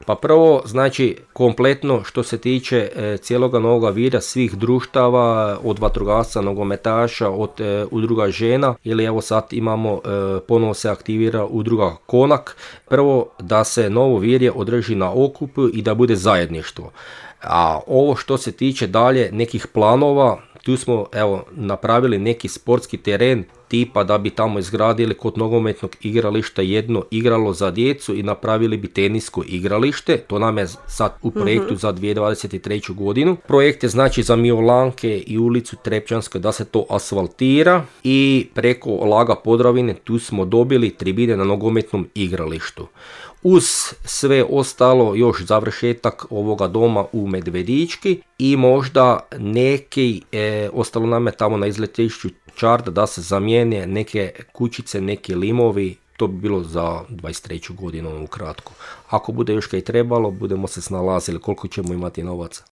Pa prvo, znači, kompletno što se tiče cijeloga Novoga Virja, svih društava, od vatrogasca, nogometaša, od udruga žena, ili evo sad imamo, ponovo se aktivira udruga Konak. Prvo, da se Novo Virje održi na okupu i da bude zajedništvo. A ovo što se tiče dalje nekih planova, tu smo napravili neki sportski teren tipa da bi tamo izgradili kod nogometnog igrališta jedno igralo za djecu i napravili bi tenisko igralište. To nam je sad u projektu za 2023. godinu. Projekt je znači za Miolanke i ulicu Trepčanskoj da se to asfaltira i preko Laga Podravine tu smo dobili tribine na nogometnom igralištu. Uz sve ostalo još završetak ovoga doma u Medvedički i možda neki, ostalo nam je tamo na izletišću Čarda da se zamijene neke kućice, neki limovi, to bi bilo za 23. godinu ukratko. Ako bude još kaj trebalo, budemo se snalazili koliko ćemo imati novaca.